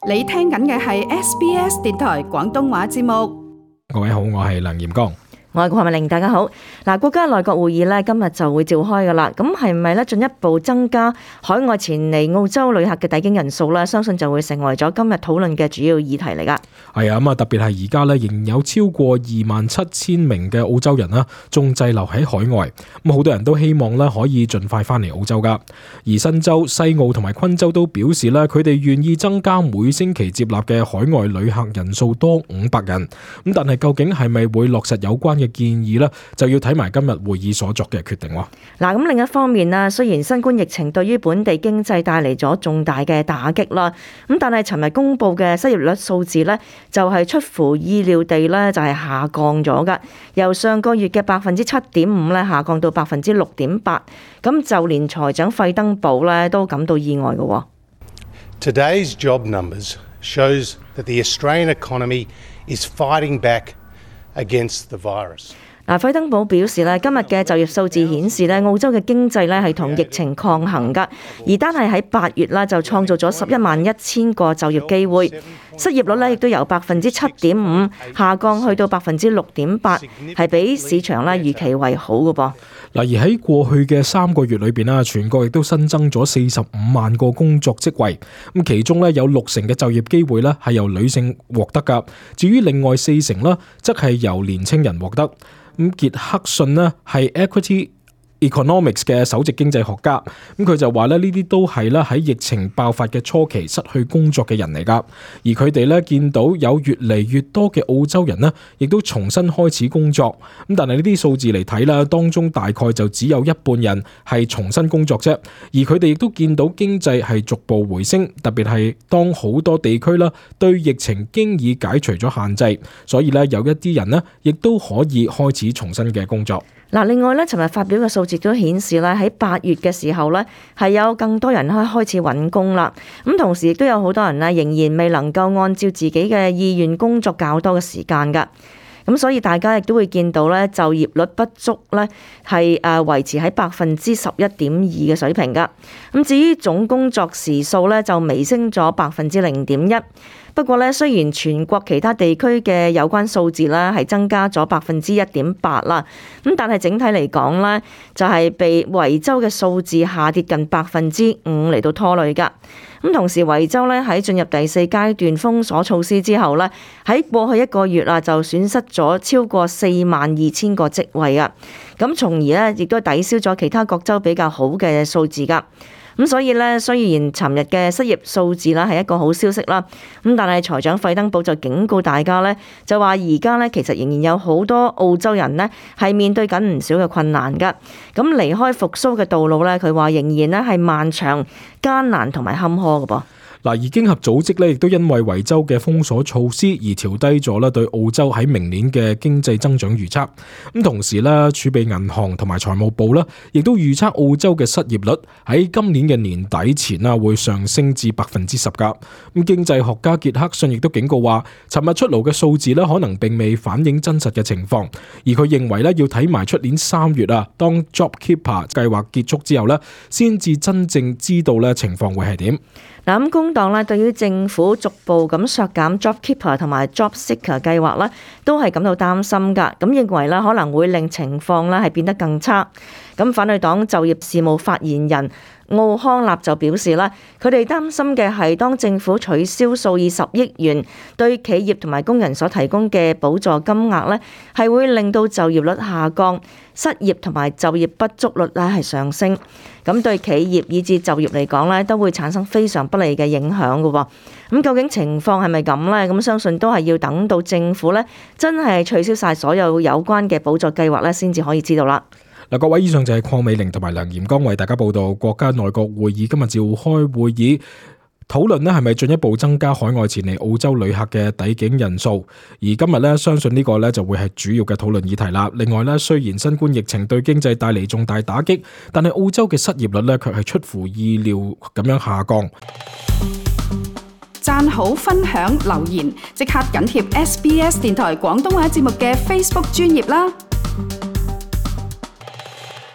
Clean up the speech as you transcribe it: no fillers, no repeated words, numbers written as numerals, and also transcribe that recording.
你聽緊嘅係 SBS 電台廣東話節目。各位好，我係梁炎光。我係郭慧玲，大家好。國家內閣會議咧今日就會召開噶啦，咁係咪咧進一步增加海外前嚟澳洲旅客嘅抵境人數咧？相信就會成為咗今日討論嘅主要議題嚟噶。係啊，咁啊特別係而家咧仍有超過27,000名嘅澳洲人啦，仲滯留喺海外。咁好多人都希望咧可以盡快翻嚟澳洲噶。而新州、西澳同埋昆州都表示咧，佢哋願意增加每星期接納嘅海外旅客人數多500人。咁但係究竟係咪會落實有關嘅建議呢？就要睇埋今日會議所作嘅決定。咁另一方面啦，雖然新冠疫情對於本地經濟帶嚟咗重大嘅打擊啦，咁但係尋日公布嘅失業率數字呢，就係出乎意料地呢，就係下降咗噶，由上個月嘅7.5%咧下降到6.8%，咁就連財長費登堡呢都感到意外嘅。Today's job numbers shows that the Australian economy is fighting back against the virus. 費登堡表示咧，今日嘅就業數字顯示咧，澳洲嘅經濟咧係同疫情抗衡噶，而單係喺8月啦就創造咗11,100個就業機會，失業率咧亦都由7.5%下降去到6.8%，係比市場咧預期為好嘅噃。而喺過去嘅3個月裏邊啦，全國亦都新增咗45萬個工作職位，咁其中咧有60%嘅就業機會咧係由女性獲得噶，至於另外40%啦，則係由年青人獲得。咁傑克遜呢係 Equity Economics 嘅首席經濟學家，咁佢就話咧呢啲都係咧喺疫情爆發嘅初期失去工作嘅人嚟噶，而佢哋咧見到有越嚟越多嘅澳洲人呢，亦都重新開始工作，咁但係呢啲數字嚟睇啦，當中大概就只有一半人係重新工作啫，而佢哋亦都見到經濟係逐步回升，特別係當好多地區啦對疫情經已解除咗限制，所以咧有一啲人呢，亦都可以開始重新嘅工作。另外咧，尋日發表嘅數字都顯示咧，喺8月嘅時候咧，係有更多人開始揾工啦。咁同時亦都有好多人咧，仍然未能夠按照自己嘅意願工作較多嘅時間㗎。咁所以大家亦都會見到咧，就業率不足咧係維持喺11.2%嘅水平㗎。咁至於總工作時數咧，就微升咗0.1%。不過咧，雖然全國其他地區嘅有關數字咧係增加咗1.8%啦，咁但係整體嚟講咧，就係被維州嘅數字下跌近5%嚟到拖累㗎。咁同時維州咧喺進入第4階段封鎖措施之後咧，喺過去1個月啊就損失咗超過42,000個職位啊，咁從而咧亦都抵消咗其他各州比較好嘅數字㗎。咁所以咧，雖然尋日嘅失業數字啦係一個好消息啦，咁但係財長費登堡就警告大家咧，就話而家咧其實仍然有好多澳洲人咧係面對緊唔少嘅困難㗎。咁離開復甦嘅道路咧，佢話仍然咧係漫長、艱難同埋坎坷㗎噃。而經合組織咧，亦都因為維州嘅封鎖措施而調低咗咧對澳洲喺明年嘅經濟增長預測。咁同時咧，儲備銀行同埋財務部咧，亦都預測澳洲嘅失業率喺今年嘅年底前啊會上升至10%噶。咁經濟學家傑克遜亦都警告話，尋日出爐嘅數字咧，可能並未反映真實嘅情況。而佢認為咧，要睇埋出年3月啊，當 JobKeeper 計劃結束之後咧，先至真正知道咧情況會係點。咁工黨咧對於政府逐步咁削減 JobKeeper 同埋 JobSeeker 計劃咧，都係感到擔心㗎。咁認為咧可能會令情況咧係變得更差。咁反對黨就業事務發言人奧康納就表示啦，佢哋擔心嘅係當政府取消數以10億元對企業同埋工人所提供嘅補助金額咧，係會令到就業率下降、失業同埋就業不足率咧係上升。咁對企業以至就業嚟講咧，都會產生非常不利嘅影響嘅喎。咁究竟情況係咪咁呢？咁相信都係要等到政府咧真係取消晒所有有關嘅補助計劃咧，先至可以知道啦。各位，以上就係鄺美玲同埋梁炎光為大家報道國家內閣會議今日召開會議，討論係咪進一步增加海外前嚟澳洲旅客嘅抵境人數。而今日相信呢個就會係主要嘅討論議題啦。另外雖然新冠疫情對經濟帶嚟重大打擊，但係澳洲嘅失業率卻係出乎意料咁樣下降。讚好、分享、留言，即刻緊貼SBS 電台廣東話節目嘅 Facebook 專頁啦。